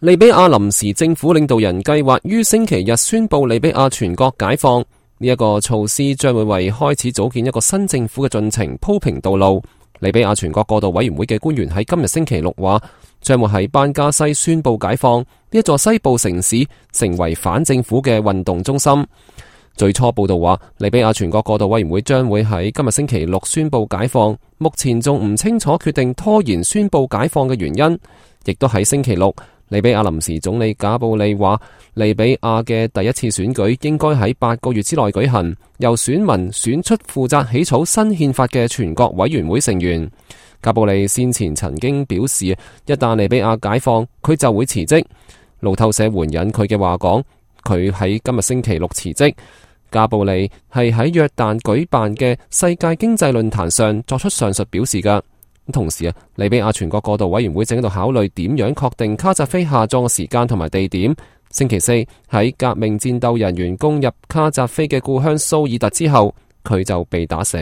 利比亞臨時政府領導人計劃於星期日宣布利比亞全國解放，呢一個措施將會為開始組建一個新政府嘅進程鋪平道路。利比亞全國過渡委員會嘅官員喺今日星期六話，將會喺班加西宣布解放，呢一座西部城市成為反政府嘅運動中心。最初報道話，利比亞全國過渡委員會將會喺今日星期六宣布解放，目前仲唔清楚決定拖延宣布解放嘅原因。亦都喺星期六，利比亞臨時總理賈布利話，利比亞嘅第一次選舉應該喺8個月之內舉行，由選民選出負責起草新憲法嘅全國委員會成員。賈布利先前曾經表示，一旦利比亞解放，佢就會辭職。路透社援引佢嘅話講，佢喺今日星期六辭職。賈布利係喺約旦舉辦嘅世界經濟論壇上作出上述表示㗎。同時利比亞全國過渡委員會正喺度考慮點樣確定卡扎菲下葬嘅時間同埋地點。星期四喺革命戰鬥人員攻入卡扎菲嘅故鄉蘇爾特之後，佢就被打死。